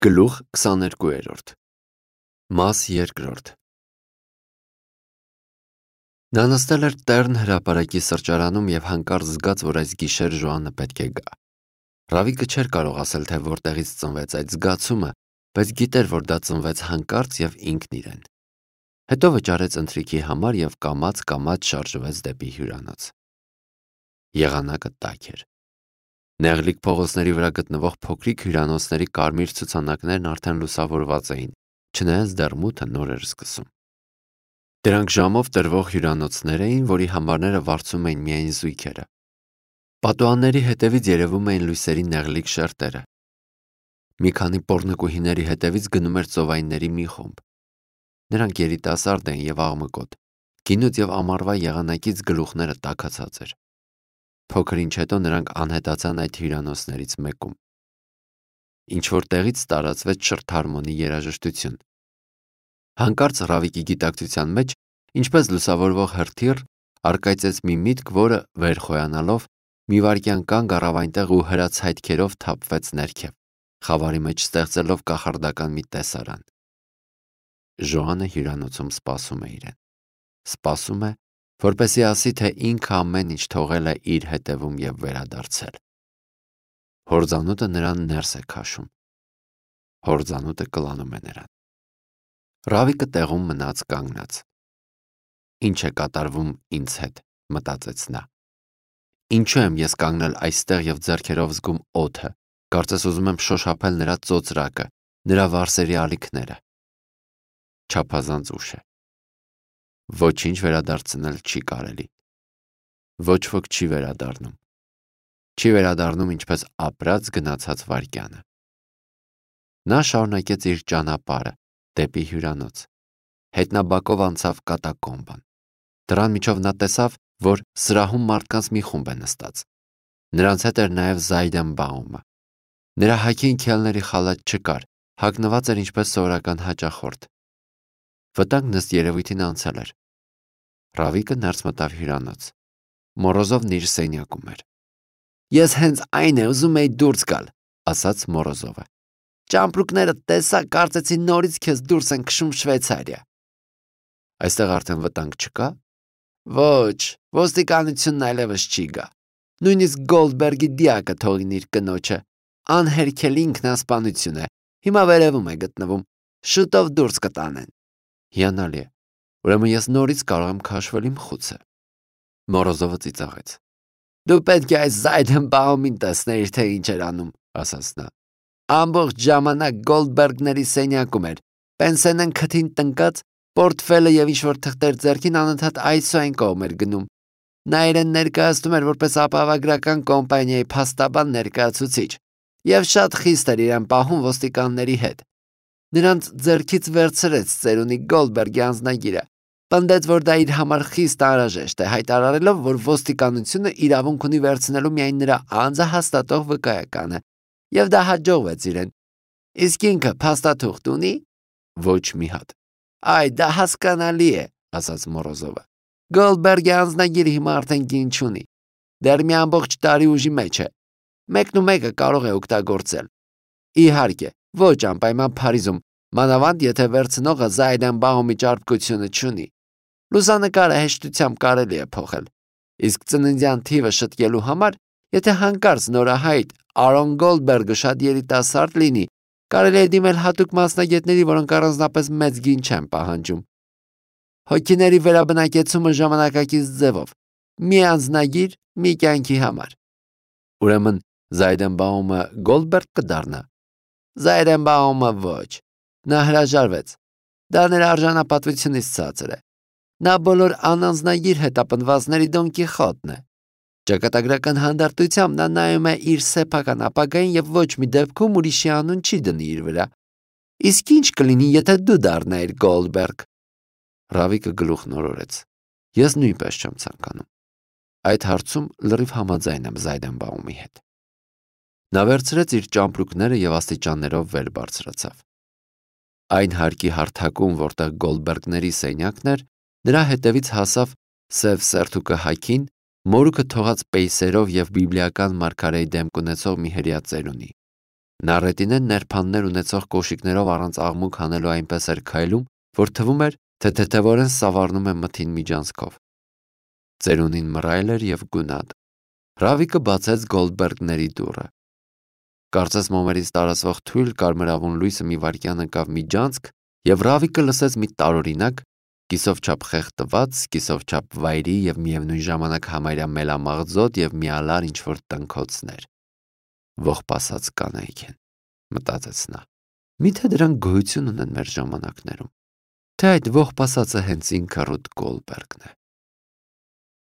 Գլուխ 22 Մաս 2 Նա նստել էր Տեռն հրապարակի սրճարանում և հանկարծ զգաց, որ այս գիշեր Ժոանը պետք է գա։ Ռավիկը չէր կարող ասել, թե որտեղից ծնվեց այդ զգացումը, բայց գիտեր, որ դա ծնվեց հանկարծ և ինքն իրեն։ Հետո վճարեց ընթրիքի համար և կամաց շարժվեց դեպի հյուրանոց։ Եղանակը տաք էր։ Նեղլիկ փողոցների վրա գտնվող փոքրիկ հյուրանոցների կարմիր ցուցանակներն արդեն լուսավորված էին, չնայած դեռ մութը նոր էր սկսում։ Դրանք ժամով տրվող հյուրանոցներ էին, որի համարները վարձում էին միայն զույգերը։ Պատուհանների հետևից երևում էին լույսերի նեղլիկ շերտերը։ Մի քանի պոռնկուհիների հետևից գնում էր ծովայինների մի խումբ։ Նրանք երիտասարդ էին և աղմկոտ, գինուց և ամառվա եղանակից գլուխները տաքացած էր։ Փոքր ինչ հետո նրանք անհետացան այդ հյուրանոցներից մեկում։ Ինչ-որ տեղից տարածվեց շրթ-հարմոնի երաժշտություն։ Հանկարծ Ռավիկի գիտակցության մեջ, ինչպես լուսավորվող հրթիռ, առկայծեց մի միտք, որը, վեր խոյանալով, մի վայրկյան կանգ առավ այնտեղ ու հրաց հայտքերով թափվեց ներքև, խավարի մեջ ստեղծելով կախարդական մի տեսարան։ Ժոանը հյուրանոցում սպասում է իրեն։ Սպասում է, որպեսզի ասի, թե ինքը ամեն ինչ թողել է իր հետևում և վերադարձել։ Հորձանուտը նրան ներս է քաշում։ Հորձանուտը կլանում է նրան։ Ռավիկը տեղում մնաց կանգնած։ Ինչ է կատարվում ինձ հետ, մտածեց նա։ Ինչու եմ ես կանգնել այստեղ և ձեռքերով զգում օդը, կարծես ուզում եմ շոշափել նրա ծոծրակը, նրա վարսերի ալիքները։ Չափազանց ուշ է։ Ոչինչ վերադարձնել չի կարելի։ Ոչ ոք չի վերադառնում։ Չի վերադառնում ինչպես ապրած գնացած վայրկյանը։ Նա շարունակեց իր ճանապարհը դեպի հյուրանոց։ Հետնաբակով անցավ կատակոմբան։ Դռան միջով նա տեսավ, որ սրահում մարդկանց մի խումբ է նստած։ Նրանց հետ էր նաև Զայդենբաումը։ Նրա հագին քելների խալաթ չկար, հագնված էր ինչպես սովորական հաճախորդ։ Վտանգն ըստ երևույթին անցել էր։ Ռավիկը ներս մտավ հյուրանոց։ Մորոզովն իր սենյակում էր։ Ես հենց այն է ուզում էի դուրս գալ, ասաց Մորոզովը։ Ճամպրուկները տեսա, կարծեցի նորից քեզ դուրս են քշում Շվեյցարիա։ Այստեղ արդեն վտանգ չկա։ Ոչ, ոստիկանությունն այլևս չի գա։ Նույնիսկ Գոլդբերգի դիակը թողին իր կնոջը։ Անհերքելի ինքնասպանություն է։ Հիմա վերևում է գտնվում։ Շուտով դուրս կտանեն։ Հիանալի է։ Ուրեմն ես նորից կարող եմ քաշվել իմ խուցը։ Մորոզովը ծիծաղեց։ Դու պետք է այս Զայդենբաումին տեսնեիր, թե ինչ էր անում, ասաց նա։ Ամբողջ ժամանակ Գոլդբերգների սենյակում էր։ Պենսենեն քթին տնկած, պորտֆելը և ինչ-որ թղթեր ձեռքին անընդհատ այսու այն կողմ էր գնում։ Նա իրեն ներկայացնում էր որպես ապահովագրական կոմպանիայի փաստաբան ներկայացուցիչ և շատ խիստ էր իրեն պահում ոստիկանների հետ։ Նրանց ձեռքից վերցրեց ծերունի Գոլդբերգի անձնագիրը։ Պնդեց, որ դա իր համար խիստ անհրաժեշտ է, հայտարարելով, որ ոստիկանությունը իրավունք ունի վերցնելու միայն նրա անձը հաստատող վկայականը, և դա հաջողվեց իրեն։ Իսկ ինքը փաստաթուղթ ունի։ Ոչ մի հատ։ Այ դա հասկանալի է, ասաց Մորոզովը։ Գոլդբերգի անձնագիրը հիմա արդեն գին չունի։ Դեռ մի ամբողջ տարի ուժի մեջ է։ Մեկն ու մեկը կարող է օգտագործել։ Իհարկե, ոչ անպայման Փարիզում, մանավանդ եթե վերցնողը Զայդենբաումի ճարպկությունը չունի։ Լուսանկարը հեշտությամբ կարելի է փոխել։ Իսկ ծննդյան թիվը շտկելու համար, եթե հանկարծ նորահայտ Արոն Գոլդբերգը շատ երիտասարդ լինի, կարելի է դիմել հատուկ մասնագետների, որոնք առանձնապես մեծ գին չեն պահանջում։ Հոգիների վերաբնակեցումը ժամանակակից ձևով։ Մի անձնագիր, մի կյանքի համար։ Ուրեմն Զայդենբաումը Գոլդբերգ կդառնա։ Զայդենբաումը ոչ։ Նա հրաժարվեց։ Դա նրա արժանապատվությունից ցածր է։ Նա բոլոր անանձնագիր հետապնդվածների Դոն Կիխոտն է։ Ճակատագրական հանդարտությամբ նա նայում է իր սեփական ապագային և ոչ մի դեպքում ուրիշի անուն չի դնի իր վրա։ Իսկ ինչ կլինի, եթե դու դառնայիր Գոլդբերգ։ Ռավիկը գլուխն օրորեց։ Ես նույնպես չեմ ցանկանում։ Այդ հարցում լրիվ համաձայն եմ Զայդենբաումի հետ։ Նա վերցրեց իր ճամպրուկները և աստիճաններով վեր բարձրացավ։ Այն հարկի հարթակում, որտեղ Գոլդբերգների սենյակն էր, նրա հետևից հասավ սև սերթուկը հագին, մորուքը թողած պեյսերով և բիբլիական մարգարեի դեմք ունեցող մի հրեա ծերունի։ Նա ռետինեն ներփաններ ունեցող կոշիկներով առանց աղմուկ հանելու այնպես էր քայլում, որ թվում էր, թե թեթևորեն սավառնում է մթին միջանցքով։ Ծերունին մռայլ էր և գունատ։ Ռավիկը բացեց Գոլդբերգների դուռը։ Կարծես մոմերից տարածվող թույլ կարմրավուն լույսը մի վայրկյան ընկավ միջանցք, և Ռավիկը լսեց մի տարօրինակ, կիսով չափ խեղդված, կիսով չափ վայրի և միևնույն ժամանակ համարյա մելամաղձոտ և միալար ինչ-որ տնքոցներ։ Ողբասած կանայք են, մտածեց նա։ Միթե դրանք գոյություն ունեն մեր ժամանակներում, թե այդ ողբասածը հենց ինքը Ռութ Գոլդբերգն է։